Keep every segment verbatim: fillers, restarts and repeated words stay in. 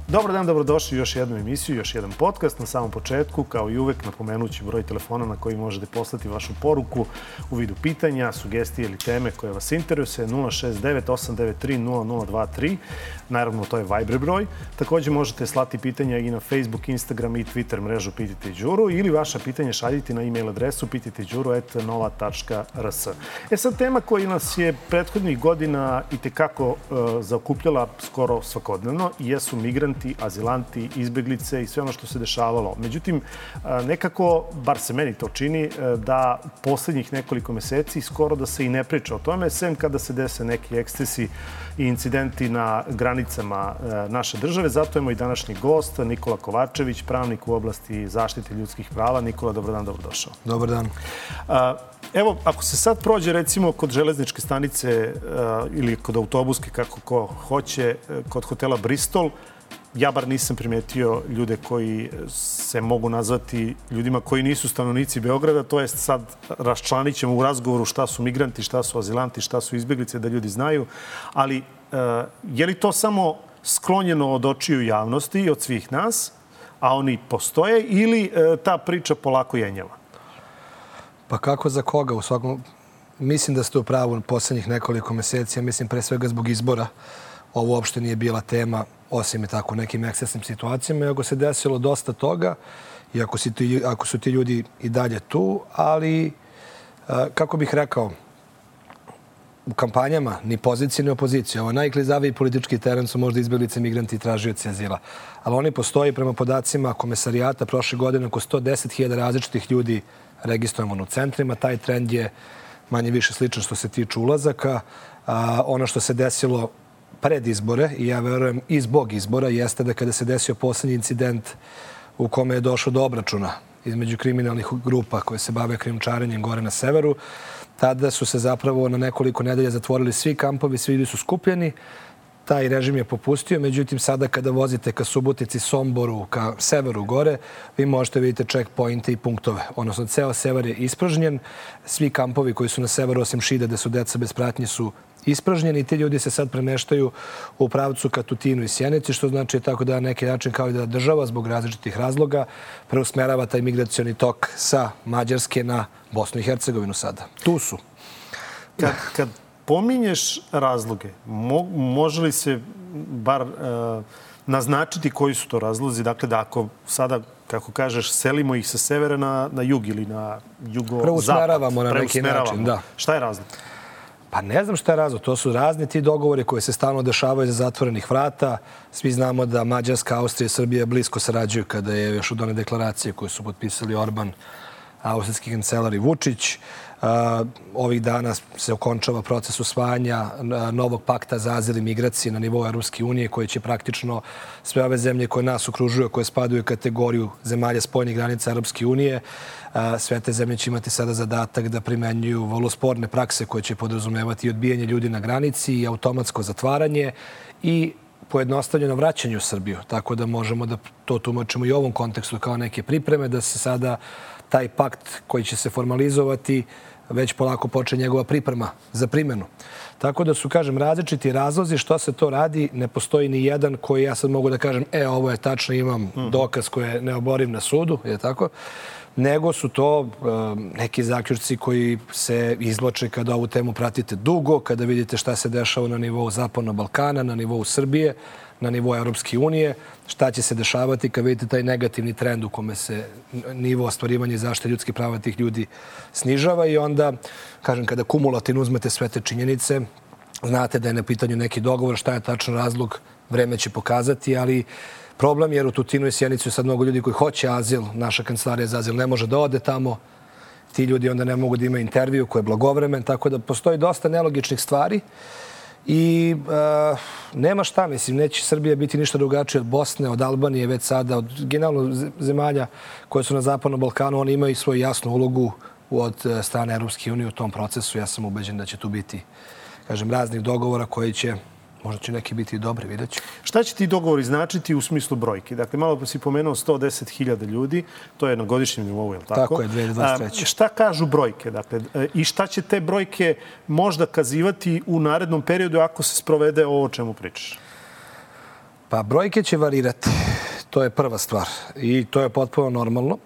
Dobar dan, dobrodošli u još jednu emisiju, još jedan podcast. Na samom početku, kao i uvek, napomenući broj telefona na koji možete poslati vašu poruku u vidu pitanja, sugestije ili teme koje vas interesuje, nula šest devet osam devet tri nula nula dva tri. Naravno, to je Viber broj. Također možete slati pitanja i na Facebook, Instagram i Twitter mrežu Pitajte Đuru ili vaša pitanja šaljiti na e-mail adresu pitajte đuru at nova tačka r s. E sad, tema koja nas je prethodnih godina i tekako uh, zaokupljala skoro svakodnevno jesu migranti, azilanti, izbeglice i sve ono što se dešavalo. Međutim, nekako, bar se meni to čini, da posljednjih nekoliko meseci skoro da se i ne priča o tome, sem kada se dese neki ekscesi i incidenti na granicama naše države. Zato je moj današnji gost Nikola Kovačević, pravnik u oblasti zaštite ljudskih prava. Nikola, dobar dan, dobrodošao. Dobar dan. Evo, ako se sad prođe recimo kod železničke stanice ili kod autobuske, kako ko hoće, kod hotela Bristol, ja bar nisam primetio ljude koji se mogu nazvati ljudima koji nisu stanovnici Beograda, to jest sad raščlanit ćemo u razgovoru šta su migranti, šta su azilanti, šta su izbeglice, da ljudi znaju. Ali je li to samo sklonjeno od očiju javnosti i od svih nas, a oni postoje, ili ta priča polako jenjava? Pa kako za koga? U svakom... Mislim da ste u pravu poslednjih nekoliko meseci, ja mislim pre svega zbog izbora. Ovo uopšte nije bila tema, osim i tako nekim ekscesnim situacijama. Iako se desilo dosta toga, i ako, si ti, ako su ti ljudi i dalje tu, ali, kako bih rekao, u kampanjama ni pozicije ni opozicije. Ovo najklizaviji politički teren su možda izbeglice, migranti i tražioci azila. Ali oni postoji prema podacima Komesarijata prošle godine oko sto deset hiljada različitih ljudi registrovano u centrima. Taj trend je manje više sličan što se tiče ulazaka. A, ono što se desilo pred izbore, i ja verujem i zbog izbora, jeste da kada se desio poslednji incident u kome je došlo do obračuna između kriminalnih grupa koje se bave krijumčarenjem gore na severu, tada su se zapravo na nekoliko nedelja zatvorili svi kampovi, svi ljudi su skupljeni. Taj režim je popustio, međutim sada kada vozite ka Subotici, Somboru, ka severu gore, vi možete vidjeti checkpointe i punktove. Odnosno, ceo sever je ispražnjen. Svi kampovi koji su na severu, osim Šida, gde su deca bez pratnje, su ispražnjeni i ti ljudi se sad premeštaju u pravcu ka Tutinu i Sjenici, što znači tako da na neki način kao i da država zbog različitih razloga preusmerava taj migracioni tok sa Mađarske na Bosnu i Hercegovinu sada. Tu su. Kad, kad pominješ razloge, mo, može li se bar uh, naznačiti koji su to razlozi? Dakle, da ako sada, kako kažeš, selimo ih sa severa na, na jug ili na jugozapad. Preusmeravamo na neki način, da. Šta je razlog? Pa ne znam šta je razlog. To su razni ti dogovori koji se stalno dešavaju za zatvorenih vrata. Svi znamo da Mađarska, Austrija i Srbija blisko sarađuju kada je još od one deklaracije koje su potpisali Orban, austrijski kancelar i Vučić. Ovih dana se okončava proces usvajanja novog pakta za azil i migracije na nivou Europske unije, koji će praktično sve ove zemlje koje nas okružuju, koje spadaju u kategoriju zemalja spoljnih granica Europske unije, sve te zemlje će imati sada zadatak da primenjuju vrlo sporne prakse koje će podrazumevati i odbijanje ljudi na granici i automatsko zatvaranje i pojednostavljeno vraćanje u Srbiju. Tako da možemo da to tumačimo i u ovom kontekstu kao neke pripreme, da se sada taj pakt koji će se formalizovati već polako počne njegova priprema za primjenu. Tako da su, kažem, različiti razlozi što se to radi. Ne postoji ni jedan koji ja sad mogu da kažem, e, ovo je tačno, imam dokaz koji je neoboriv na sudu, je tako? Nego su to uh, neki zaključci koji se izvlače kada ovu temu pratite dugo, kada vidite šta se dešava na nivou Zapadnog Balkana, na nivou Srbije, na nivou Europske unije, šta će se dešavati kad vidite taj negativni trend u kome se nivo ostvarivanja i zaštite ljudskih prava tih ljudi snižava i onda, kažem, kada kumulativno uzmete sve te činjenice, znate da je na pitanju neki dogovor, šta je tačan razlog, vreme će pokazati, ali problem jer u Tutinu i Sjenicu je sad mnogo ljudi koji hoće azil, naša kancelarija za azil ne može da ode tamo, ti ljudi onda ne mogu da imaju intervju koji je blagovremen, tako da postoji dosta nelogičnih stvari i uh, nema šta, mislim, neće Srbija biti ništa drugačije od Bosne, od Albanije, već sada, od generalno zemalja koje su na Zapadnom Balkanu, oni imaju svoju jasnu ulogu od strane Europske unije u tom procesu. Ja sam ubeđen da će tu biti, kažem, raznih dogovora koji će Možda će neki biti i dobri, vidjet ću. Šta će ti dogovori značiti u smislu brojke? Dakle, malo si pomenuo sto deset hiljada ljudi, to je na godišnjem nivou, je li tako? Tako je, dve hiljade dvadeset treće. A, šta kažu brojke? Dakle, i šta će te brojke možda kazivati u narednom periodu ako se sprovede ovo o čemu pričaš? Pa brojke će varirati. To je prva stvar. I to je potpuno normalno.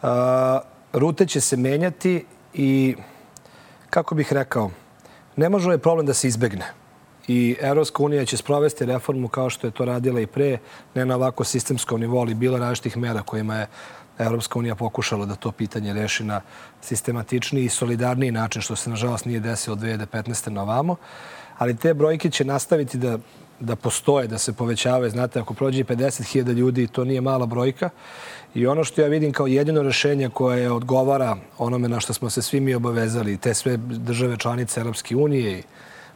A, rute će se menjati i, kako bih rekao, ne može ovaj problem da se izbegne. I Evropska unija će sprovesti reformu kao što je to radila i pre, ne na ovako sistemskom nivou, ali bilo različitih mera kojima je Evropska unija pokušala da to pitanje reši na sistematičniji i solidarniji način, što se nažalost nije desilo od dve hiljade petnaeste na ovamo. Ali te brojke će nastaviti da, da postoje, da se povećavaju. Znate, ako prođe pedeset hiljada ljudi, to nije mala brojka. I ono što ja vidim kao jedino rešenje koje odgovara onome na što smo se svi mi obavezali, te sve države članice Evropske unije i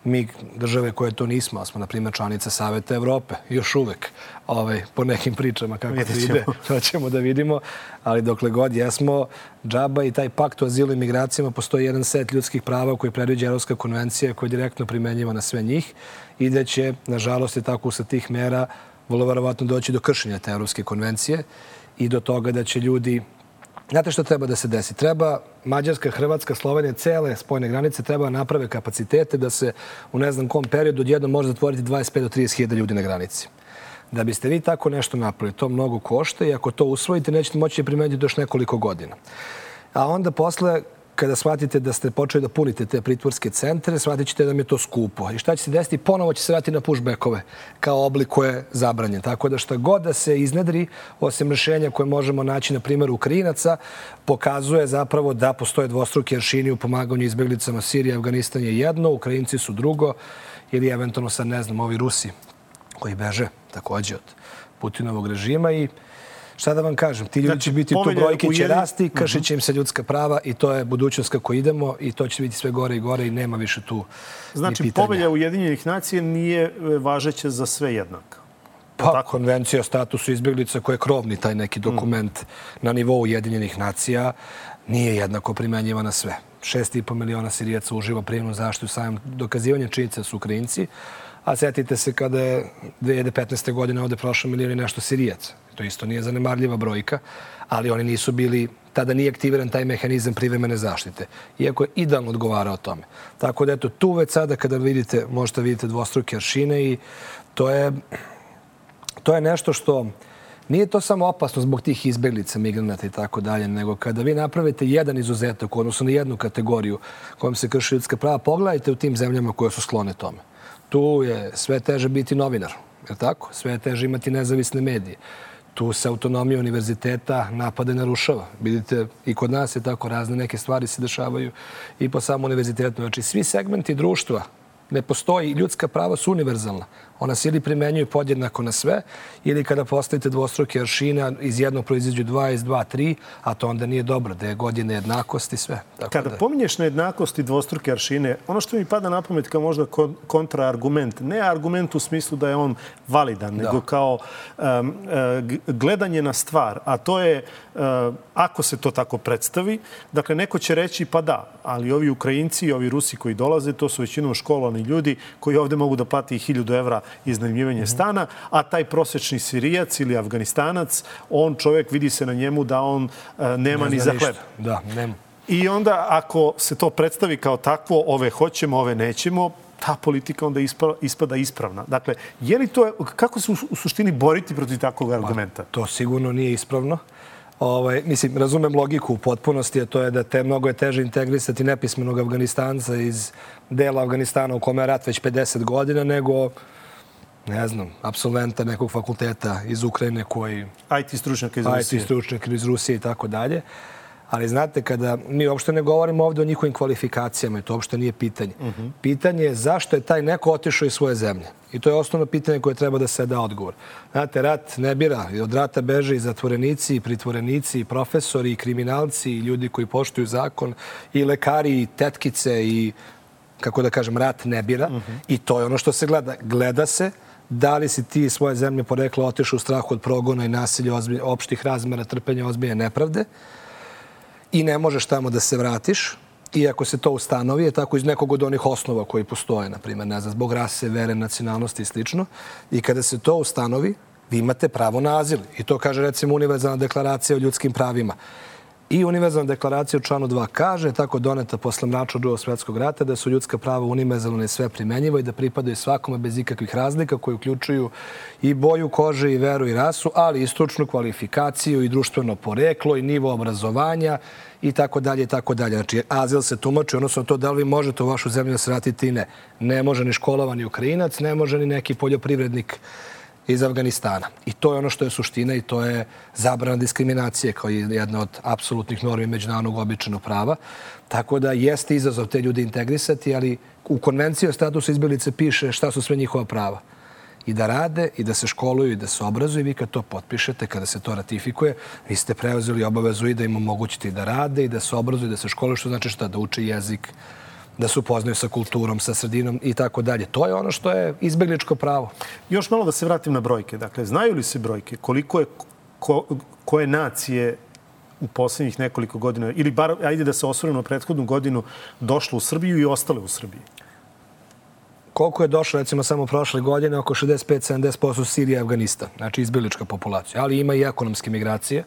mi države koje to nismo, smo, na primjer, članice Saveta Evrope, još uvek, ovaj, po nekim pričama kako to ide, to ćemo da vidimo, ali dokle god jesmo, džaba i taj pakt o azilu i migracijama, postoji jedan set ljudskih prava koji predviđa Evropska konvencija koja je direktno primenjiva na sve njih i da će, nažalost, i tako sa tih mera vrlo verovatno doći do kršenja te Evropske konvencije i do toga da će ljudi... Znate što treba da se desi? Treba Mađarska, Hrvatska, Slovenija, cele spojne granice treba naprave kapacitete da se u ne znam kom periodu odjednom može zatvoriti dvadeset pet do trideset hiljada ljudi na granici. Da biste vi tako nešto napravili, to mnogo košta i ako to usvojite, nećete moći primeniti još nekoliko godina. A onda posle, kada shvatite da ste počeli da punite te pritvorske centre, shvatit ćete da mi je to skupo. I šta će se desiti? Ponovo će se vratiti na pushbackove kao oblik koje je zabranjen. Tako da šta god da se iznedri, osim rešenja koje možemo naći na primjer Ukrajinaca, pokazuje zapravo da postoje dvostruki aršini u pomaganju izbeglicama. Sirija i Afganistan je jedno, Ukrajinci su drugo ili eventualno sad ne znam, ovi Rusi koji beže također od Putinovog režima i šta da vam kažem, ti ljudi znači, će biti, to brojke će ujedin... rasti, kršit će im se ljudska prava i to je budućnost kako idemo i to će biti sve gore i gore i nema više tu znači, ni pitanja. Znači, povelja Ujedinjenih nacija nije važeća za sve jednako? Pa, tako? Konvencija o statusu izbjeglica koja je krovni taj neki dokument mm. na nivou Ujedinjenih nacija nije jednako primenjiva na sve. Šest i po miliona Sirijaca uživa prijemnu zaštitu samim dokazivanjem činjenica su Ukrajinci, a sjetite se kada je dve hiljade petnaeste. godine ovde prošlo milijon i nešto Sirijaca. To isto nije zanemarljiva brojka, ali oni nisu bili, tada nije aktiviran taj mehanizam privremene zaštite, iako je idealno odgovarao tome. Tako da eto, tu već sada kada vidite, možete vidite dvostruke aršine i to je, to je nešto što nije to samo opasno zbog tih izbeglica, migranata i tako dalje, nego kada vi napravite jedan izuzetak, odnosno na jednu kategoriju kojom se krši ljudska prava, pogledajte u tim zemljama koje su sklone tome. Tu je sve teže biti novinar, je li tako? Sve je teže imati nezavisne medije. Tu se autonomija univerziteta napade narušava. Vidite, i kod nas je tako, razne neke stvari se dešavaju i po samom univerzitetu. Znači, svi segmenti društva ne postoji, ljudska prava su univerzalna. Ona se ili primenjuju podjednako na sve, ili kada postavite dvostruke aršina, iz jednog proizađu dva, iz dva, tri, a to onda nije dobro, da je godine jednakost i sve. Tako kada da... pominješ na jednakost i dvostruke aršine, ono što mi pada na pamet kao možda kontraargument, ne argument u smislu da je on validan, da. nego kao um, uh, gledanje na stvar, a to je, uh, ako se to tako predstavi, dakle, neko će reći pa da, ali ovi Ukrajinci i ovi Rusi koji dolaze, to su većinom školovani ljudi koji ovde mogu da plati hiljadu evra iznajmljivanje stana, a taj prosječni Sirijac ili Afganistanac, on čovjek, vidi se na njemu da on uh, nema ne ni za hleb. Da, nema. I onda ako se to predstavi kao takvo, ove hoćemo, ove nećemo, ta politika onda ispada, ispada ispravna. Dakle, je li to, kako se u, u suštini boriti protiv takvog argumenta? Pa, to sigurno nije ispravno. Ovaj, mislim, razumem logiku u potpunosti, a to je da te mnogo je teže integrisati nepismenog Afganistanca iz dela Afganistana u kome je rat već pedeset godina, nego ne znam, apsolventa nekog fakulteta iz Ukrajine koji... I T stručnjaka iz Rusije. I T stručnjaka iz Rusije i tako dalje. Ali znate, kada mi uopšte ne govorimo ovdje o njihovim kvalifikacijama i to uopšte nije pitanje. Uh-huh. Pitanje je zašto je taj neko otišao iz svoje zemlje. I to je osnovno pitanje koje treba da se da odgovor. Znate, rat ne bira. I od rata beže i zatvorenici, i pritvorenici, i profesori, i kriminalci, i ljudi koji poštuju zakon, i lekari, i tetkice, i, kako da kažem, rat ne bira. Uh-huh. I to je ono što se gleda. Gleda se da li si ti svoje zemlje porekla otišao u strahu od progona i nasilja, opštih razmera, trpenja, ozbiljne nepravde i ne možeš tamo da se vratiš i ako se to ustanovi, je tako iz nekog od onih osnova koji postoje, na primjer, ne znam, zbog rase, vere, nacionalnosti i slično. I kada se to ustanovi, vi imate pravo na azil. I to kaže, recimo, Univerzalna deklaracija o ljudskim pravima. I Univerzalna deklaracija u članu dva kaže, tako doneta posle mračnog Drugog svjetskog rata, da su ljudska prava univerzalna i sve primenjiva i da pripadaju svakome bez ikakvih razlika koji uključuju i boju kože i veru i rasu, ali i stručnu kvalifikaciju i društveno poreklo i nivo obrazovanja i tako dalje i tako dalje. Znači, azil se tumači, odnosno to da li vi možete u vašu zemlju da se vratite i ne. Ne može ni školovani Ukrajinac, ne može ni neki poljoprivrednik iz Afganistana. I to je ono što je suština i to je zabrana diskriminacije kao jedna od apsolutnih normi međunarodnog običajnog prava. Tako da jeste izazov te ljude integrisati, ali u konvenciji o statusu izbjeglice piše šta su sve njihova prava. I da rade, i da se školuju, i da se obrazuju. Vi kad to potpišete, kada se to ratifikuje, vi ste preuzeli obavezu i da im omogućite i da rade, i da se obrazuju, i da se školuju, što znači šta? Da uče jezik, da se upoznaju sa kulturom, sa sredinom i tako dalje. To je ono što je izbjegličko pravo. Još malo da se vratim na brojke. Dakle, znaju li se brojke koliko je ko, koje nacije u posljednjih nekoliko godina, ili bar, ajde da se osvrnemo na prethodnu godinu, došlo u Srbiju i ostale u Srbiji? Koliko je došlo, recimo, samo prošle godine, oko šezdeset pet do sedamdeset posto Sirija i Afganistan, znači izbjeglička populacija. Ali ima i ekonomske migracije.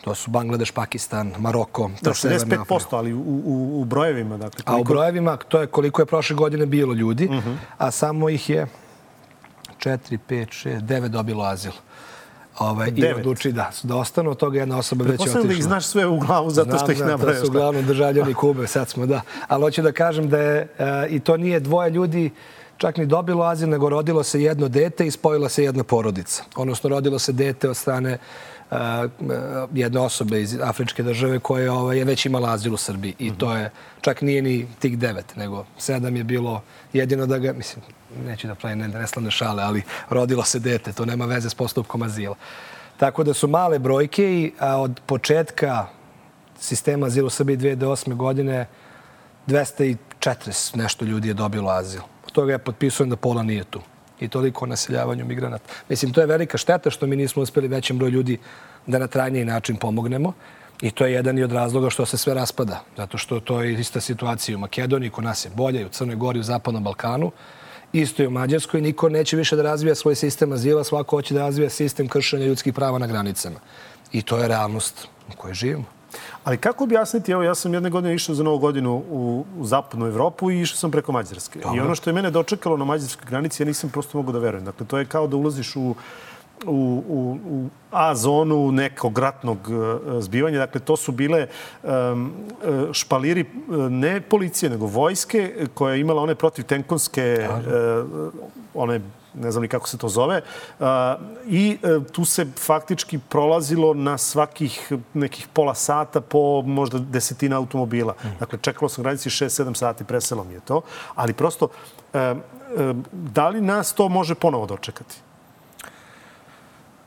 To su Bangladeš, Pakistan, Maroko. Da, šezdeset pet posto, ali u, u, u brojevima. Dakle, koliko... A u brojevima, to je koliko je prošle godine bilo ljudi, uh-huh. a samo ih je četiri, pet, šest, devet dobilo azil. Ove, I odluči da, da ostanu od toga jedna osoba već je otišla. Pretpostavljam da ih znaš sve u glavu zato Znam, što ih nabrajaš. Znam, da su uglavnom državljani Kube, sad smo, da. Ali hoću da kažem da je, uh, i to nije dvoje ljudi čak ni dobilo azil, nego rodilo se jedno dete i spojila se jedna porodica. Odnosno, rodilo se dete od strane Uh, jedne osobe iz afričke države koja ovaj, je već imala azil u Srbiji. I to je, čak nije ni tih devet, nego sedam je bilo jedino da ga, mislim, neću da pravim neslavne šale, ali rodilo se dete, to nema veze s postupkom azila. Tako da su male brojke i a od početka sistema azila u Srbiji dve hiljade osme godine dvesta četrdeset nešto ljudi je dobilo azil. Od toga je potpisujem da pola nije tu. I toliko o naseljavanju migranata. Mislim, to je velika šteta što mi nismo uspjeli većem broju ljudi da na trajniji način pomognemo. I to je jedan i od razloga što se sve raspada. Zato što to je ista situacija u Makedoniji, kod nas je bolje, i u Crnoj Gori, u Zapadnom Balkanu. Isto i u Mađarskoj. Niko neće više da razvija svoj sistem azila, svako hoće da razvija sistem kršenja ljudskih prava na granicama. I to je realnost u kojoj živimo. Ali kako objasniti, evo ja sam jedne godine išao za Novu godinu u, u zapadnu Evropu i išao sam preko Mađarske. Dobre. I ono što je mene dočekalo na mađarskoj granici, ja nisam prosto mogu da verujem. Dakle, to je kao da ulaziš u, u, u, u A zonu nekog ratnog zbivanja. Dakle, to su bile um, špaliri ne policije, nego vojske koja je imala one protivtenkovske, uh, one ne znam ni kako se to zove, i tu se faktički prolazilo na svakih nekih pola sata po možda desetina automobila. Dakle, čekalo sam granici šest sedam sati, preselo mi je to. Ali prosto, da li nas to može ponovo dočekati?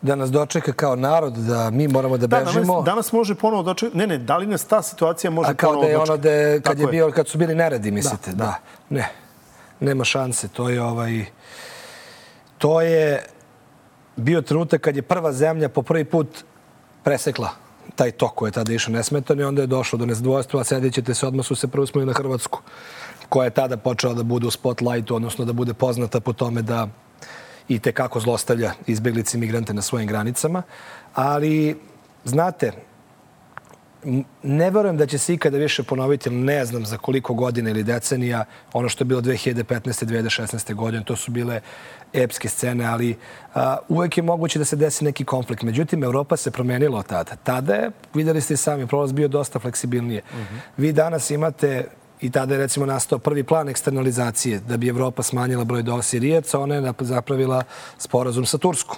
Da nas dočeka kao narod, da mi moramo da bežimo. Da, danas može ponovo dočekati. Ne, ne, da li nas ta situacija može ponovo dočekati? A kao da je ono kad, je bio, kad su bili neredi, mislite? Da, da. Ne, nema šanse. To je ovaj... To je bio trenutak kad je prva zemlja po prvi put presekla taj tok koji je tada išao nesmetano i onda je došlo do nezadovoljstva, a sedit ćete se, odmah su se prvo smeli na Hrvatsku, koja je tada počela da bude u spotlightu, odnosno da bude poznata po tome da i tekako zlostavlja izbjeglice i migrante na svojim granicama. Ali, znate, ne verujem da će se ikada više ponoviti, ne znam za koliko godina ili decenija, ono što je bilo dve hiljade petnaeste dve hiljade šesnaeste godine, to su bile epske scene, ali a, uvek je moguće da se desi neki konflikt. Međutim, Evropa se promenila od tada. Tada je, vidjeli ste i sami, prolaz bio dosta fleksibilnije. Uh-huh. Vi danas imate, i tada je recimo nastao prvi plan eksternalizacije, da bi Evropa smanjila broj do Sirijaca, ona je zapravila sporazum sa Turskom,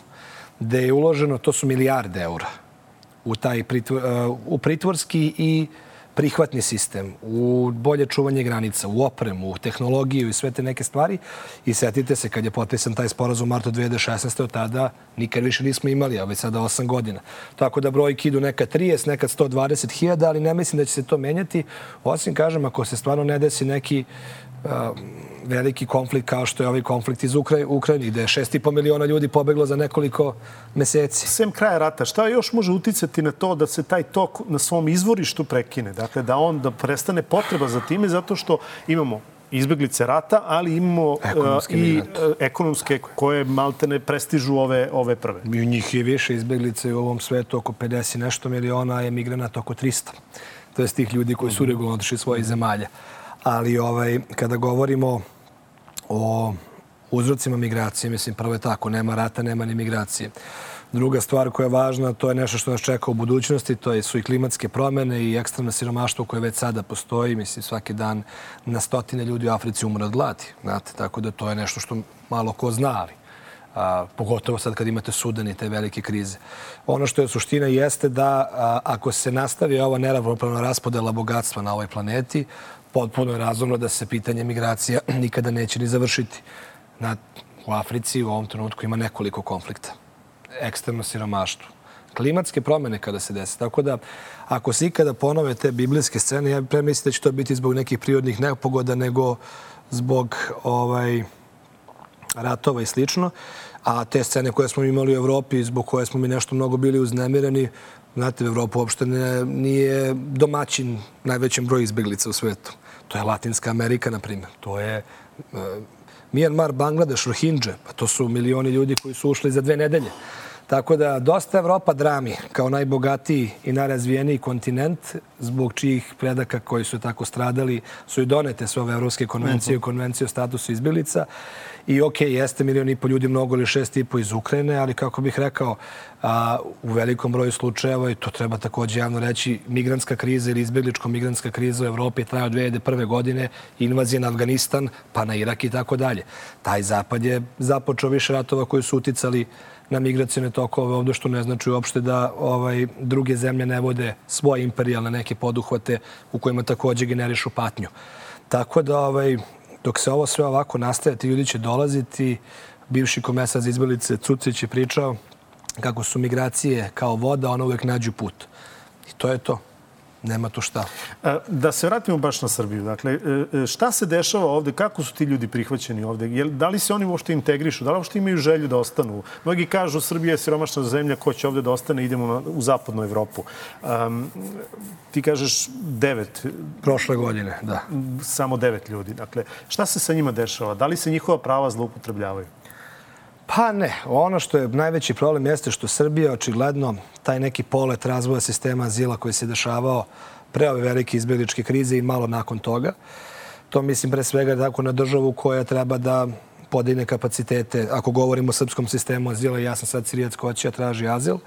gde je uloženo, to su milijarde eura, u taj pritvor, u pritvorski i prihvatni sistem, u bolje čuvanje granica, u opremu, u tehnologiju i sve te neke stvari. I setite se, kad je potpisan taj sporazum u martu dve hiljade šesnaeste. od tada nikad više nismo imali, a već sada osam godina. Tako da brojki idu nekad trideset, nekad sto dvadeset hiljada, ali ne mislim da će se to menjati. Osim, kažem, ako se stvarno ne desi neki uh, veliki konflikt kao što je ovaj konflikt iz Ukra... Ukrajine, gde je šest i po miliona ljudi pobeglo za nekoliko meseci. Sem kraja rata, šta još može uticati na to da se taj tok na svom izvorištu prekine? Dakle, da on da prestane potreba za time, zato što imamo izbeglice rata, ali imamo ekonomske uh, i migrante. uh, ekonomske koje maltene prestižu ove, ove prve. I u njih je više izbeglice u ovom svetu, oko pedeset nešto miliona, a emigranata oko trista. To je tih ljudi koji su regularno otišli svojih zemalja. Ali ovaj, kada govorimo o uzrocima migracije, mislim, prvo je tako, nema rata, nema ni migracije. Druga stvar koja je važna, to je nešto što nas čeka u budućnosti, to je, su i klimatske promjene i ekstremno siromaštvo koje već sada postoji. Mislim, svaki dan na stotine ljudi u Africi umre od gladi. Znate, tako da to je nešto što malo ko zna, ali a, pogotovo sad kad imate Sudan i te velike krize. Ono što je suština jeste da a, ako se nastavi ova neravnopravna raspodela bogatstva na ovoj planeti, potpuno je razumno da se pitanje migracija nikada neće ni završiti. Na, u Africi u ovom trenutku ima nekoliko konflikta. Ekstremno siromaštvo. Klimatske promjene kada se desi. Tako da, ako se ikada ponove te biblijske scene, ja premisliti da će to biti zbog nekih prirodnih nepogoda, nego zbog ovaj, ratova i slično. A te scene koje smo imali u Evropi, zbog koje smo mi nešto mnogo bili uznemireni, znate, Evropa uopšte ne, nije domaćin najvećem broju izbeglica u svetu. To je Latinska Amerika, na primjer. To je uh, Mijanmar, Bangladeš, Rohingya. Pa to su milioni ljudi koji su ušli za dve nedelje. Tako da dosta Evropa drami kao najbogatiji i najrazvijeniji kontinent, zbog čijih predaka koji su tako stradali su i donete sve ove evropske konvencije i konvencije o statusu izbjeglica. I ok, jeste milijon i po ljudi mnogo ili šest i po iz Ukrajine, ali kako bih rekao, a, u velikom broju slučajeva, i to treba također javno reći, migrantska kriza ili izbjegličko-migrantska kriza u Evropi traje od dve hiljade prve. godine, invazija na Afganistan, pa na Irak i tako dalje. Taj zapad je započeo više ratova koji su uticali na migracijone tokove ovdje, što ne znači uopšte da ovaj, druge zemlje ne vode svoje imperijalne neke poduhvate u kojima također generišu patnju. Tako da ovaj, dok se ovo sve ovako nastaje, ti ljudi će dolaziti. Bivši komesar za izbjeglice Cucić je pričao kako su migracije kao voda, ona uvijek nađu put. I to je to. Nema tu šta. Da se vratimo baš na Srbiju. Dakle, šta se dešava ovdje? Kako su ti ljudi prihvaćeni ovdje? Da li se oni uopšte integrišu? Da li uopšte imaju želju da ostanu? Mnogi kažu Srbija je siromašna zemlja, ko će ovdje da ostane, idemo u zapadnu Evropu. Um, ti kažeš devet. Prošle godine, da. Samo devet ljudi. Dakle, šta se sa njima dešava? Da li se njihova prava zloupotrebljavaju? Pa ne. Ono što je najveći problem jeste što Srbija očigledno taj neki polet razvoja sistema azila koji se dešavao pre ove velike izbjegličke krize i malo nakon toga. To mislim pre svega tako na državu koja treba da podigne kapacitete. Ako govorimo o srpskom sistemu azila, ja sam sad Sirijac ko će traži azil.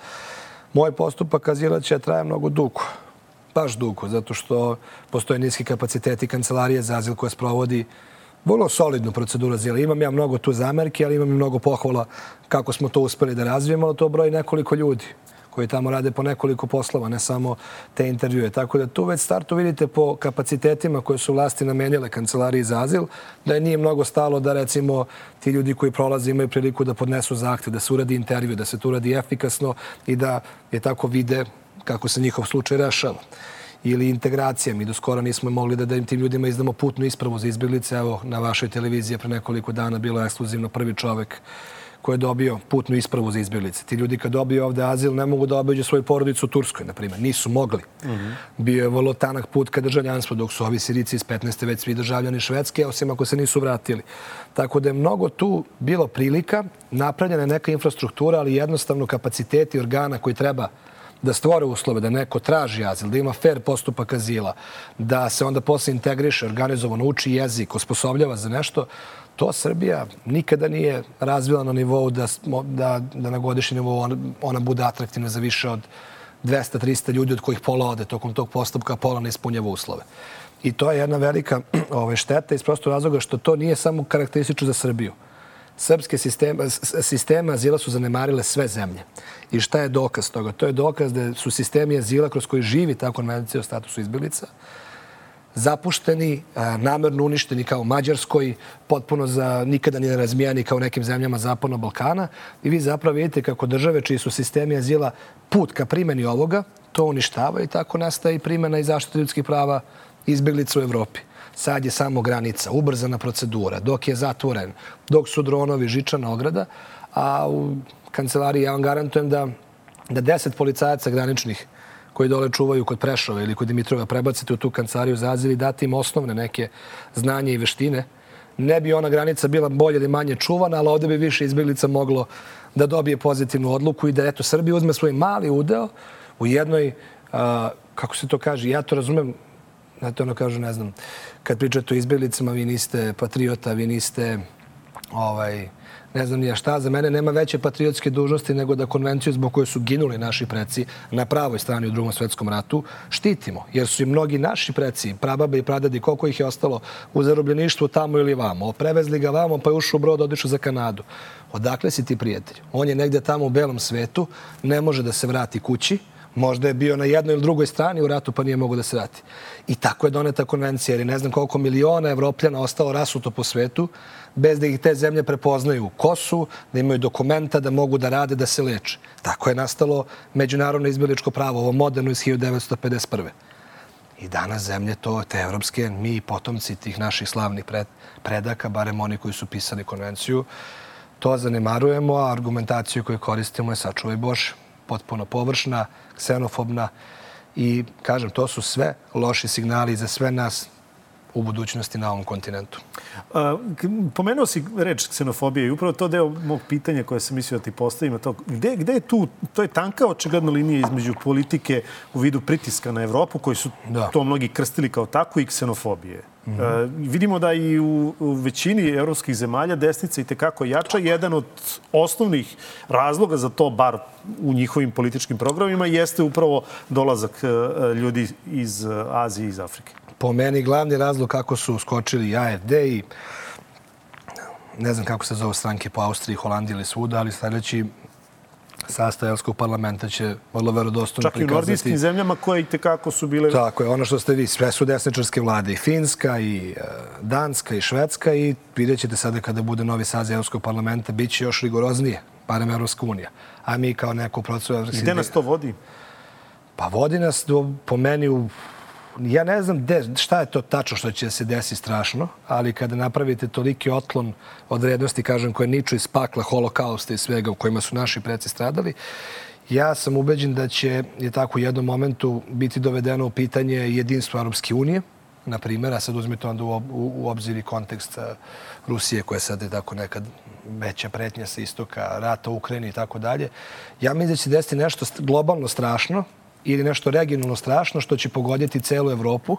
Moj postupak azila će traje mnogo dugo. Baš dugo, zato što postoje niski kapaciteti kancelarije za azil koja sprovodi vrlo solidnu proceduru azila. Imam ja mnogo tu zamerke, ali imam i mnogo pohvala kako smo to uspeli da razvijemo, ali to broji nekoliko ljudi koji tamo rade po nekoliko poslova, ne samo te intervjue. Tako da tu već startu vidite po kapacitetima koje su vlasti namenjale kancelariji za azil, da je nije mnogo stalo da, recimo, ti ljudi koji prolaze imaju priliku da podnesu zahtev, da se uradi intervju, da se to uradi efikasno i da je tako vide kako se njihov slučaj rešava. Ili integracija. Mi do skoro nismo mogli da, da im tim ljudima izdamo putnu ispravu za izbjeglice. Evo, na vašoj televiziji pre nekoliko dana bilo je ekskluzivno prvi čovek koji je dobio putnu ispravu za izbjeglice. Ti ljudi kad dobiju ovde azil ne mogu da obiđu svoju porodicu u Turskoj, na primjer. Nisu mogli. Mm-hmm. Bio je vrlo tanak put ka državljanstvu, dok su ovi Sirici iz petnaeste već svi državljani Švedske, osim ako se nisu vratili. Tako da je mnogo tu bilo prilika, napravljena neka infrastruktura, ali jednostavno kapaciteti organa koji treba da stvore uslove, da neko traži azil, da ima fair postupak azila, da se onda posle integriše, organizovano uči jezik, osposobljava za nešto, to Srbija nikada nije razvila na nivou da, da, da na godišnji nivou ona, ona bude atraktivna za više od dvesta do trista ljudi od kojih pola ode tokom tog postupka, pola ne ispunjava uslove. I to je jedna velika ove, šteta iz prostog razloga što to nije samo karakteristično za Srbiju. Srpske sistema, sisteme azila su zanemarile sve zemlje. I šta je dokaz toga? To je dokaz da su sistemi azila kroz koji živi ta konvencija o statusu izbjeglica zapušteni, namerno uništeni kao u Mađarskoj, potpuno za nikada ni razmijani kao u nekim zemljama Zapadnog Balkana. I vi zapravo vidite kako države čiji su sistemi azila put ka primjeni ovoga, to uništava i tako nastaje i primjena i zaštita ljudskih prava izbjeglica u Evropi. Sad je samo granica, ubrzana procedura, dok je zatvoren, dok su dronovi, žičana ograda, a u kancelariji ja vam garantujem da, da deset policajaca graničnih koji dole čuvaju kod Prešova ili kod Dimitrova prebacite u tu kancelariju za azil i dati im osnovne neke znanje i veštine, ne bi ona granica bila bolje ili manje čuvana, ali ovdje bi više izbjeglica moglo da dobije pozitivnu odluku i da eto Srbija uzme svoj mali udeo u jednoj, a, kako se to kaže, ja to razumem, znate ono kažu, ne znam, kad pričate o izbjeglicama, vi niste patriota, vi niste, ovaj, ne znam nija šta, za mene nema veće patriotske dužnosti nego da konvenciju zbog koje su ginuli naši preci na pravoj strani u Drugom svjetskom ratu štitimo. Jer su i mnogi naši preci, prababe i pradadi, koliko ih je ostalo u zarobljeništvu tamo ili vamo. Prevezli ga vamo pa je ušao u brod, odišao za Kanadu. Odakle si ti prijatelj? On je negdje tamo u belom svetu, ne može da se vrati kući. Možda je bio na jednoj ili drugoj strani u ratu pa nije mogo da se vrati. I tako je doneta konvencija, jer ne znam koliko miliona Evropljana ostalo rasuto po svetu, bez da ih te zemlje prepoznaju ko su, da imaju dokumenta, da mogu da rade, da se leče. Tako je nastalo međunarodno izbjegličko pravo, ovo moderno iz hiljadu devetsto pedeset prve. I danas zemlje to, te evropske, mi potomci tih naših slavnih pred, predaka, barem oni koji su pisali konvenciju, to zanemarujemo, a argumentaciju koju koristimo je sačuvaj Bože. Potpuno površna, ksenofobna i, kažem, to su sve loši signali za sve nas u budućnosti na ovom kontinentu. A, pomenuo si reč ksenofobije i upravo to deo mog pitanja koje sam mislio da ti postavim. To, gde, gde je tu, to je tanka očigledna linija između politike u vidu pritiska na Evropu, koji su da. to mnogi krstili kao tako, i ksenofobije. Mm -hmm. uh, vidimo da i u, u većini evropskih zemalja desnica i tekako jača. Jedan od osnovnih razloga za to, bar u njihovim političkim programima, jeste upravo dolazak uh, ljudi iz uh, Azije i iz Afrike. Po meni glavni razlog kako su skočili A F D i ne znam kako se zove stranke po Austriji, Holandiji ili svuda, ali sljedeći sastav Evropskog parlamenta će vrlo verodostojno prikazati. Čak i u nordijskim zemljama koje i tekako su bile... Tako je, ono što ste vi, sve su desničarske vlade, i Finska, i Danska, i Švedska, i vidjet ćete sada kada bude novi saziv Evropskog parlamenta, bit će još rigoroznije, barem Evropska unija. A mi kao neko procesu evropskih... Gde nas to vodi? Pa vodi nas do, po meni u... Ja ne znam de, šta je to tačno što će se desiti strašno, ali kada napravite toliki otklon od vrednosti, kažem, koje niču iz pakla, holokausta i svega u kojima su naši preci stradali, ja sam ubeđen da će je tako u jednom momentu biti dovedeno u pitanje jedinstvo Europske unije, na primjer, a sad uzmite onda u, u, u obzir i kontekst Rusije, koja sad je tako nekad veća pretnja sa istoka, rata u Ukrajini i tako dalje. Ja mislim da će desiti nešto globalno strašno, ili nešto regionalno strašno što će pogoditi celu Evropu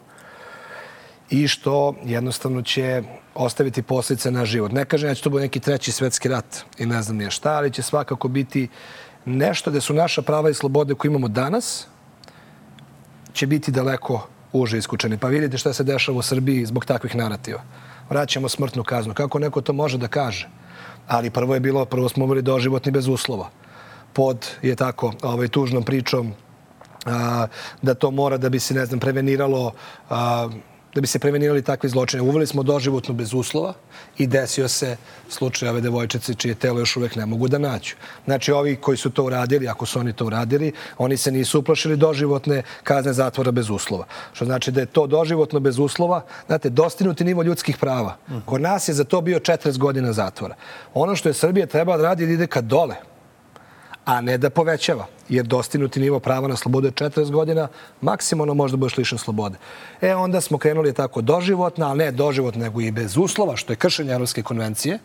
i što jednostavno će ostaviti posljedice na život. Ne kažem da će to bude neki treći svetski rat i ne znam nije šta, ali će svakako biti nešto gde su naša prava i slobode koje imamo danas će biti daleko uže iskučeni. Pa vidite šta se dešava u Srbiji zbog takvih narativa. Vraćamo smrtnu kaznu. Kako neko to može da kaže? Ali prvo je bilo, prvo smo bili doživotni bez uslova. Pod je tako ovaj, tužnom pričom A, da to mora da bi se, ne znam, preveniralo, a, da bi se prevenirali takve zločine. Uveli smo doživotno bez uslova i desio se slučaj ove devojčice čije telo još uvek ne mogu da nađu. Znači, ovi koji su to uradili, ako su oni to uradili, oni se nisu uplašili doživotne kazne zatvora bez uslova. Što znači da je to doživotno bez uslova, znate, dostignuti nivo ljudskih prava. Kod nas je za to bio četrdeset godina zatvora. Ono što je Srbija trebala da radi, ide ka dole, a ne da povećava, jer dostignuti nivo prava na slobodu je četrdeset godina, maksimalno možda budeš lišen slobode. E, onda smo krenuli tako doživotno, ali ne doživotno, nego i bez uslova, što je kršenje Evropske konvencije.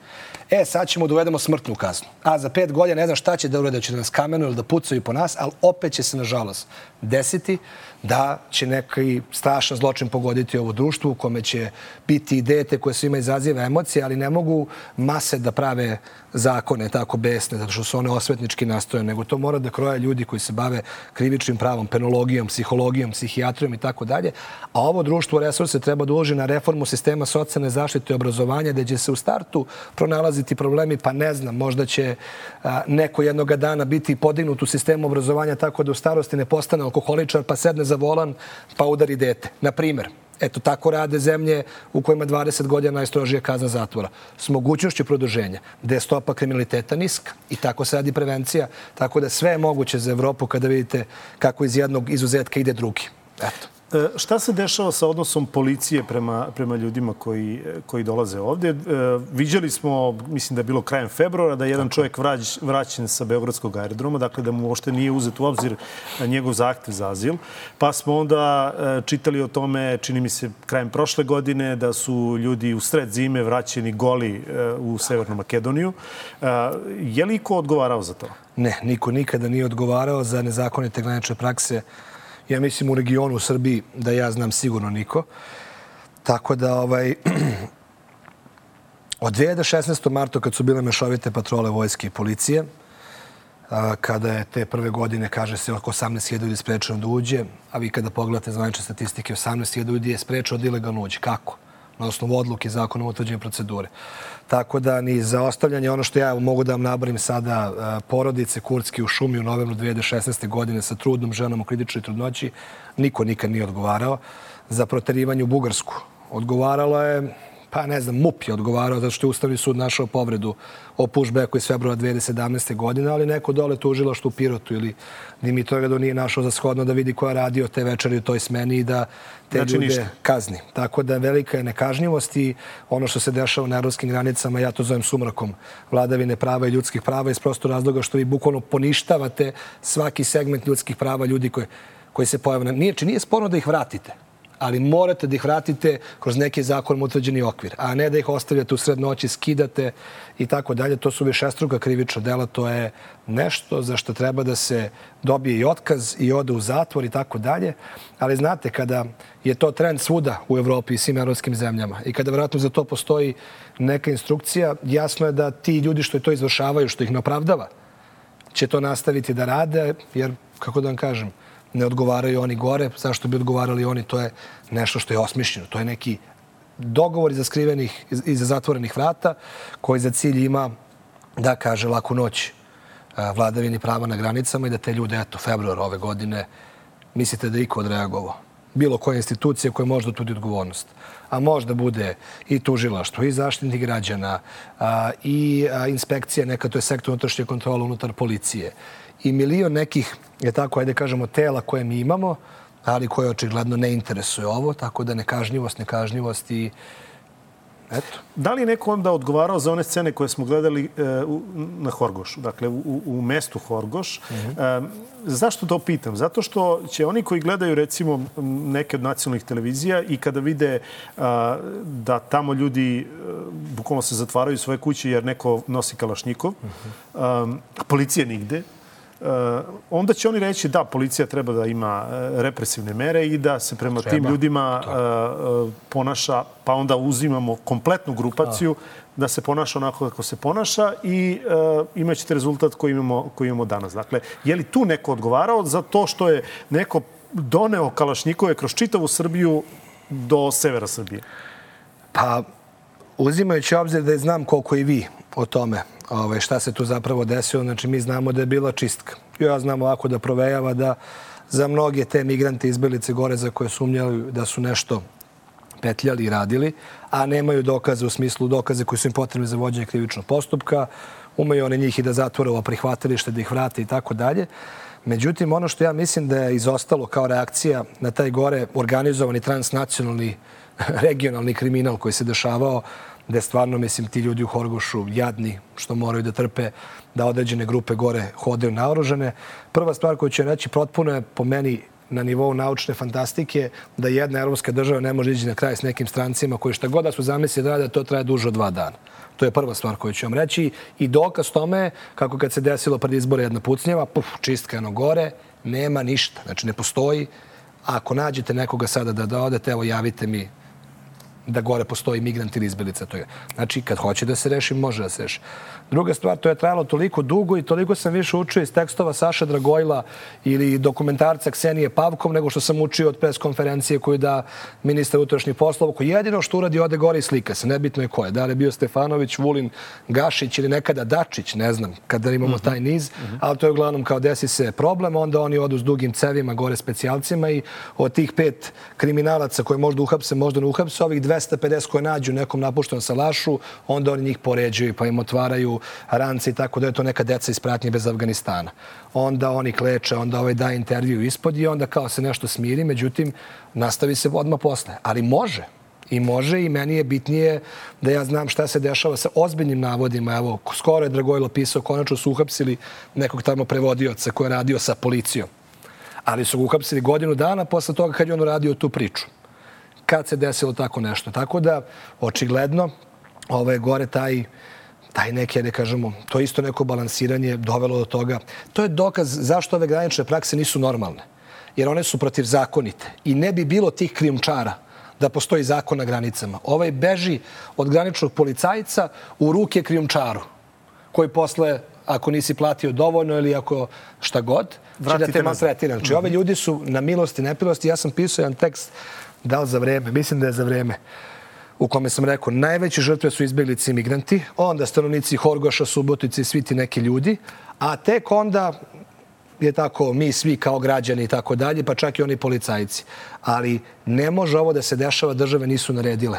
E, sad ćemo da uvedemo smrtnu kaznu. A za pet godina ne znam šta će da urede, će da nas kamenuju ili da pucaju po nas, ali opet će se, nažalost, desiti da će neki strašan zločin pogoditi ovo društvo u kome će biti dete koje svima izaziva emocije, ali ne mogu mase da prave zakone tako besne, zato što su one osvetnički nastoje, nego to mora da kroje ljudi koji se bave krivičnim pravom, penologijom, psihologijom, psihijatrijom i tako dalje. A ovo društvo resurse treba da uloži na reformu sistema socijalne zaštite i obrazovanja, gde će se u startu pronalaziti problemi, pa ne znam, možda će a, neko jednoga dana biti podignut u sistemu obrazovanja tako da u starosti ne postane alkoholičar, pa sedne za volan, pa udari dete. Na primjer. Eto, tako rade zemlje u kojima dvadeset godina najstrožija kazna zatvora. S mogućnošću produženja, gde je stopa kriminaliteta niska. I tako se radi prevencija. Tako da sve je moguće za Evropu kada vidite kako iz jednog izuzetka ide drugi. Eto. Šta se dešava sa odnosom policije prema, prema ljudima koji, koji dolaze ovdje? Viđali smo, mislim da je bilo krajem februara, da je jedan čovjek vrać, vraćen sa Beogradskog aerodroma, dakle da mu uopšte nije uzet u obzir njegov zahtev za azil. Pa smo onda čitali o tome, čini mi se, krajem prošle godine, da su ljudi u sred zime vraćeni goli u Severnu Makedoniju. Je li ko odgovarao za to? Ne, niko nikada nije odgovarao za nezakonite granične prakse. Ja mislim u regionu u Srbiji da ja znam sigurno niko. Tako da ovaj, od dve hiljade šesnaestog. marta kad su bile mešovite patrole vojske i policije, kada je te prve godine, kaže se, oko osamnaest hiljada ljudi sprečeno da uđe, a vi kada pogledate zvanične statistike, osamnaest hiljada ljudi je sprečeno da ilegalno uđe. Kako? Na osnovu odluke zakonom o utvrđenju procedure. Tako da ni za ostavljanje, ono što ja mogu da vam nabrojim sada, porodice Kurtski u šumi u novembru dve hiljade šesnaeste. godine sa trudnom ženom u kritičnoj trudnoći, niko nikad nije odgovarao. Za proterivanje u Bugarsku odgovaralo je, pa ne znam, MUP je odgovarao zato što je Ustavni sud našao povredu o pushbacku iz februara dve hiljade sedamnaeste. godine, ali neko dole tužilaštvo u Pirotu ili Dimitrovgradu nije našao za shodno da vidi ko je radio te večeri u toj smeni i da te znači, ljude ništa. kazni. Tako da velika je nekažnjivost i ono što se dešava na evropskim granicama, ja to zovem sumrakom vladavine prava i ljudskih prava iz prostog razloga što vi bukvalno poništavate svaki segment ljudskih prava ljudi koji, koji se pojave. Nije, či nije sporno da ih vratite, ali morate da ih vratite kroz neki zakonom utvrđeni okvir, a ne da ih ostavljate u sred noći, skidate i tako dalje. To su višestruka krivična dela, to je nešto za što treba da se dobije i otkaz i ode u zatvor i tako dalje. Ali znate, kada je to trend svuda u Evropi i svim evropskim zemljama i kada vjerojatno za to postoji neka instrukcija, jasno je da ti ljudi što to izvršavaju, što ih ne opravdava, će to nastaviti da rade, jer, kako da vam kažem, ne odgovaraju oni gore, zašto bi odgovarali oni, to je nešto što je osmišljeno. To je neki dogovor iza skrivenih, iza zatvorenih vrata, koji za cilj ima da kaže laku noć vladavini prava na granicama i da te ljude, eto, februar ove godine, mislite da je iko odreagovao. Bilo koja institucija koja može da tudi odgovornost. A možda bude i tužilaštvo, i zaštitnik građana, i inspekcija, neka to je sektor unutrašnje kontrole unutar policije, i milion nekih, je tako, ajde kažemo, tela koje mi imamo, ali koje očigledno ne interesuje ovo, tako da nekažnjivost, nekažnjivost i eto. Da li je neko onda odgovarao za one scene koje smo gledali e, u, na Horgošu, dakle u, u mestu Horgoš? Mm-hmm. E, zašto to pitam? Zato što će oni koji gledaju recimo neke od nacionalnih televizija i kada vide a, da tamo ljudi a, bukvalno se zatvaraju svoje kuće jer neko nosi kalašnjikov, mm-hmm. a, policije nigde, Uh, onda će oni reći da policija treba da ima uh, represivne mere i da se prema treba. tim ljudima uh, uh, ponaša, pa onda uzimamo kompletnu grupaciju A. da se ponaša onako kako se ponaša i uh, imat ćete rezultat koji imamo, koji imamo danas. Dakle, je li tu neko odgovarao za to što je neko doneo kalašnjikove kroz čitavu Srbiju do severa Srbije? Pa, uzimajući obzir da znam koliko i vi o tome Ove, šta se tu zapravo desilo. Znači, mi znamo da je bila čistka. Ja znam ovako da provejava da za mnoge te migrante izbjeglice gore za koje sumnjali da su nešto petljali i radili, a nemaju dokaze u smislu dokaze koji su im potrebni za vođenje krivičnog postupka, umeju one njih i da zatvore ovo prihvatilište, da ih vrate i tako dalje. Međutim, ono što ja mislim da je izostalo kao reakcija na taj gore organizovani transnacionalni regionalni kriminal koji se dešavao, gde stvarno, mislim, ti ljudi u Horgošu jadni što moraju da trpe da određene grupe gore hodaju naoružane. Prva stvar koju ću reći, potpuno je po meni na nivou naučne fantastike da jedna evropska država ne može ići na kraj s nekim strancima koji šta god da su zamislili da rade, to traje duže od dva dana. To je prva stvar koju ću vam reći. I dokaz tome, kako kad se desilo pred izbore jedna pucnjava, puf, čistka jedno gore, nema ništa. Znači, ne postoji. Ako nađete nekoga sada da, da odete, evo, javite mi da gore postoji migrant ili izbjeglica. Znači, kad hoće da se reši, može da se reši. Druga stvar, to je trajalo toliko dugo i toliko sam više učio iz tekstova Saša Dragojla ili dokumentarca Ksenije Pavkov nego što sam učio od pres konferencije koju da ministar unutrašnjih poslova, koji jedino što uradi ode gore i slika se. Nebitno je ko je. Da li je bio Stefanović, Vulin, Gašić ili nekada Dačić, ne znam, kada imamo taj niz, ali to je uglavnom kao desi se problem, onda oni odu s dugim cevima gore specijalcima i od tih pet kriminalaca koje možda uhapse, možda ne uhapse, ovih dvesta dvesta pedeset koje nađu nekom napuštenom salašu, onda oni njih poređuju pa im otvaraju rance i tako da je to neka deca iz pratnje bez Afganistana. Onda oni kleče, onda ovaj daje intervju ispod i onda kao se nešto smiri, međutim nastavi se odmah posle. Ali može. I može i meni je bitnije da ja znam šta se dešava sa ozbiljnim navodima. Evo, skoro je Dragojlo pisao, konačno su uhapsili nekog tamo prevodioca koji je radio sa policijom. Ali su ga uhapsili godinu dana posle toga kad je on radio tu priču. Kad se desilo tako nešto. Tako da, očigledno, ovo je gore taj, taj neki, da kažemo, to isto neko balansiranje dovelo do toga. To je dokaz zašto ove granične prakse nisu normalne. Jer one su protivzakonite. I ne bi bilo tih krijumčara da postoji zakon na granicama. Ovaj beži od graničnog policajca u ruke krijumčaru, koji posle, ako nisi platio dovoljno ili ako šta god, će da te maltretira. Znači, ove ljudi su na milost i nepilosti. Ja sam pisao jedan tekst, da li za vreme, mislim da je za vreme, u kome sam rekao, najveće žrtve su izbjeglice i migranti, onda stanovnici Horgoša, Subotice i svi ti neki ljudi, a tek onda je tako mi svi kao građani i tako dalje, pa čak i oni policajci. Ali ne može ovo da se dešava, države nisu naredile.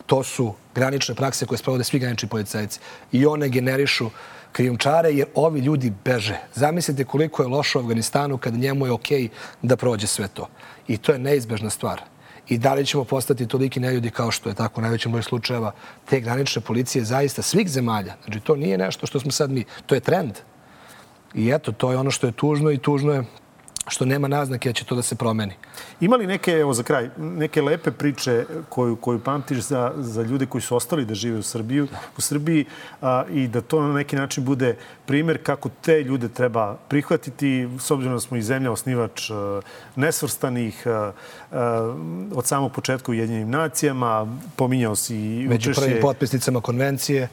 To su granične prakse koje sprovode svi granični policajci. I one generišu krijumčare jer ovi ljudi beže. Zamislite koliko je lošo u Afganistanu kada njemu je okej da prođe sve to. I to je neizbežna stvar. I da li ćemo postati toliki neljudi kao što je tako u najvećem broju slučajeva te granične policije zaista svih zemalja. Znači to nije nešto što smo sad mi, to je trend. I eto, to je ono što je tužno i tužno je što nema naznake da će to da se promeni. Ima li neke, evo za kraj, neke lepe priče koju, koju pamtiš za, za ljude koji su ostali da žive u, Srbiju, u Srbiji a, i da to na neki način bude primjer kako te ljude treba prihvatiti, s obzirom da smo i zemlja osnivač a, nesvrstanih a, a, od samog početka u Ujedinjenim nacijama, pominjao si i među prvim potpisnicama konvencije,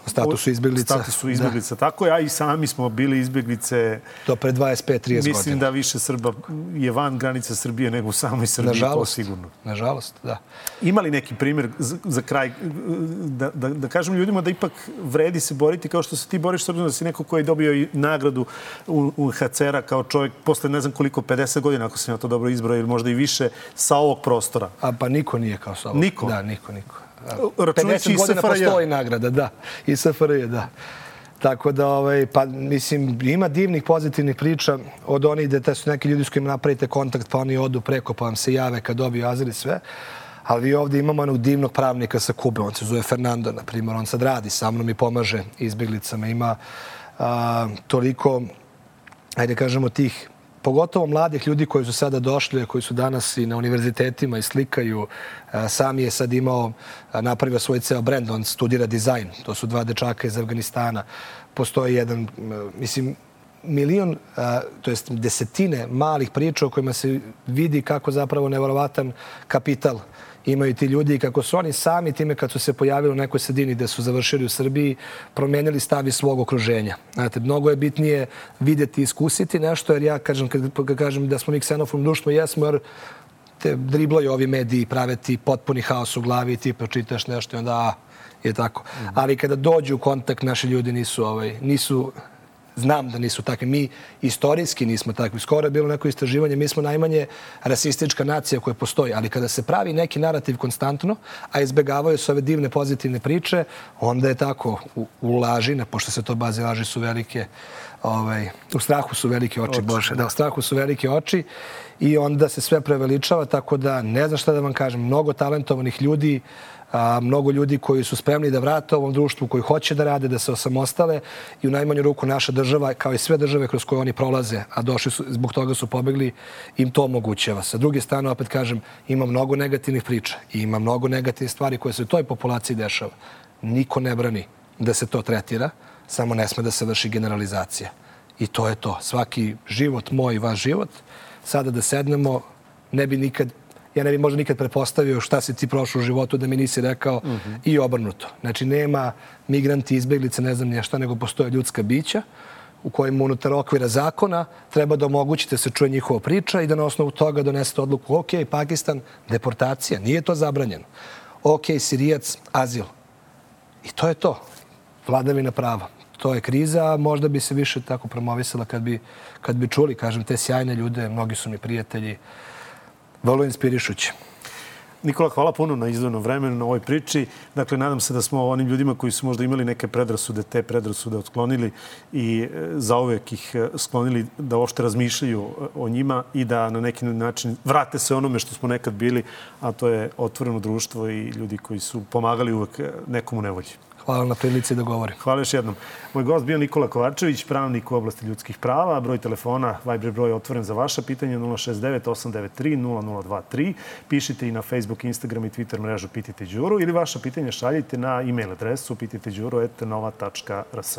o statusu izbjeglica. Statusu izbjeglica, tako je, a i sami smo bili izbjeglice. To pre dvadeset pet trideset godina. Mislim da više Srba je van granica Srbije nego u samoj Srbiji, to sigurno. Nažalost, da. Ima li neki primjer za, za kraj, da, da, da kažem ljudima da ipak vredi se boriti kao što se ti boriš, s obzirom da si neko koji je dobio i nagradu u, u ha ce er-a kao čovjek posle ne znam koliko, pedeset godina, ako sam ja to dobro izbrao, ili možda i više, sa ovog prostora? A pa niko nije kao sa ovog. Niko? Da, niko, niko. Računajući pedeset godina postoji nagrada, da. I es ef er je, da. Tako da, ovaj, pa, mislim, ima divnih, pozitivnih priča od onih da su neki ljudi s kojima napravite kontakt, pa oni odu preko, pa vam se jave kad dobiju azil i sve. Ali vi ovdje imamo onog divnog pravnika sa Kube, on se zove Fernando, na primjer, on sad radi sa mnom i pomaže izbjeglicama. Ima a, toliko, ajde kažemo, tih pogotovo mladih ljudi koji su sada došli, koji su danas i na univerzitetima i slikaju. Sam je sad imao, napravio svoj ceo brend, on studira dizajn. To su dva dečaka iz Afganistana. Postoji jedan, mislim, milion, to jest desetine malih priča u kojima se vidi kako zapravo neverovatan kapital imaju ti ljudi i kako su oni sami time kad su se pojavili u nekoj sredini gde su završili u Srbiji, promenili stav iz svog okruženja. Znate, mnogo je bitnije vidjeti i iskusiti nešto, jer ja kažem, kad, kad kažem da smo mi ksenofobno društvo, jesmo, jer te driblaju ovi mediji, prave ti potpuni haos u glavi i ti pročitaš nešto i onda a, je tako. Mm. Ali kada dođu u kontakt, naši ljudi nisu, ovaj, nisu znam da nisu takvi. Mi istorijski nismo takvi. Skoro je bilo neko istraživanje. Mi smo najmanje rasistička nacija koja postoji. Ali kada se pravi neki narativ konstantno, a izbjegavaju se ove divne pozitivne priče, onda je tako u, u laži, pošto se to baze laži su velike, ovaj, u strahu su velike oči, oči. Bože. Da, u strahu su velike oči i onda se sve preveličava, tako da ne znam šta da vam kažem. Mnogo talentovanih ljudi, a, mnogo ljudi koji su spremni da vrate ovom društvu, koji hoće da rade, da se osamostale i u najmanju ruku naša država, kao i sve države kroz koje oni prolaze, a došli su, zbog toga su pobegli, im to omogućava. Sa druge strane, opet kažem, ima mnogo negativnih priča i ima mnogo negativnih stvari koje se u toj populaciji dešava. Niko ne brani da se to tretira, samo ne sme da se vrši generalizacija. I to je to. Svaki život, moj i vaš život, sada da sednemo, ne bi nikad, ja ne bi možda nikad prepostavio šta si ti prošao u životu da mi nisi rekao mm-hmm. i obrnuto. Znači, nema migranti, izbjeglice, ne znam nije šta, nego postoje ljudska bića u kojima unutar okvira zakona treba da omogućite se čuje njihova priča i da na osnovu toga donesete odluku ok, Pakistan, deportacija, nije to zabranjeno. Ok, Sirijac, azil. I to je to. Vladavina prava. To je kriza, možda bi se više tako promovisala kad bi, kad bi čuli, kažem, te sjajne ljude, mnogi su mi prijatelji, vrlo inspirišući. Nikola, hvala puno na izdvojenom vremenu, na ovoj priči. Dakle, nadam se da smo onim ljudima koji su možda imali neke predrasude, te predrasude otklonili i zauvek ih sklonili da uopšte razmišljaju o njima i da na neki način vrate se onome što smo nekad bili, a to je otvoreno društvo i ljudi koji su pomagali uvek nekom u nevolji. Hvala na prilici da govorim. Hvala još jednom. Moj gost bio Nikola Kovačević, pravnik u oblasti ljudskih prava. Broj telefona, Viber broj je otvoren za vaša pitanja nula šest devet osam devet tri nula nula dva tri. Pišite i na Facebook, Instagram i Twitter mrežu Pitajte Đuru ili vaša pitanja šaljite na e-mail adresu pitajte đuru et nova tačka r s.